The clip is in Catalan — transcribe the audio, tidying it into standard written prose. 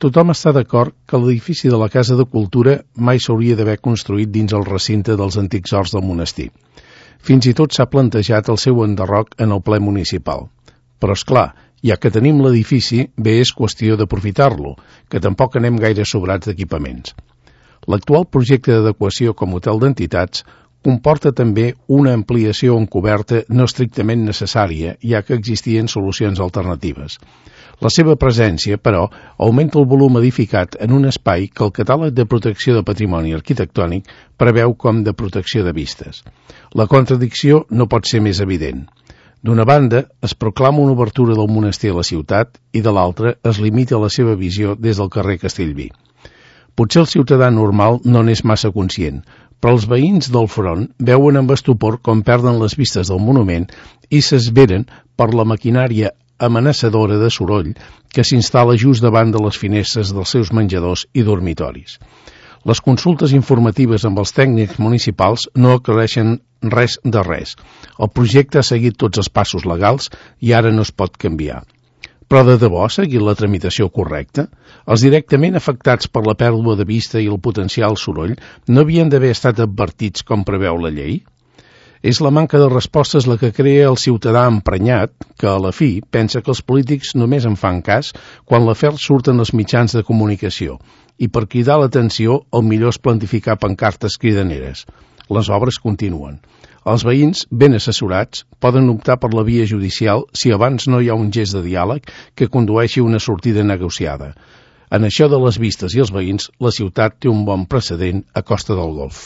Tothom està d'acord que l'edifici de la Casa de Cultura mai s'hauria d'haver construït dins el recinte dels antics horts del monestir. Fins i tot s'ha plantejat el seu enderroc en el ple municipal. Però, és clar, ja que tenim l'edifici, bé és qüestió d'aprofitar-lo, que tampoc anem gaire sobrats d'equipaments. L'actual projecte d'adequació com hotel d'entitats comporta també una ampliació en coberta no estrictament necessària, ja que existien solucions alternatives. La seva presència, però, augmenta el volum edificat en un espai que el catàleg de protecció de patrimoni arquitectònic preveu com de protecció de vistes. La contradicció no pot ser més evident. D'una banda, es proclama una obertura del monestir a la ciutat i de l'altra es limita la seva visió des del carrer Castellví. Potser el ciutadà normal no n'és massa conscient, però els veïns del front veuen amb estupor com perden les vistes del monument i s'esveren per la maquinària amenaçadora de soroll que s'instal·la just davant de les finestres dels seus menjadors i dormitoris. Les consultes informatives amb els tècnics municipals no aclareixen res de res. El projecte ha seguit tots els passos legals i ara no es pot canviar. Però de debò ha seguit la tramitació correcta? Els directament afectats per la pèrdua de vista i el potencial soroll no havien d'haver estat advertits com preveu la llei? És la manca de respostes la que crea el ciutadà emprenyat que, a la fi, pensa que els polítics només en fan cas quan l'afer surt en els mitjans de comunicació i per cridar l'atenció el millor és plantificar pancartes cridaneres. Les obres continuen. Els veïns, ben assessorats, poden optar per la via judicial si abans no hi ha un gest de diàleg que condueixi a una sortida negociada. En això de les vistes i els veïns, la ciutat té un bon precedent a Costa del Golf.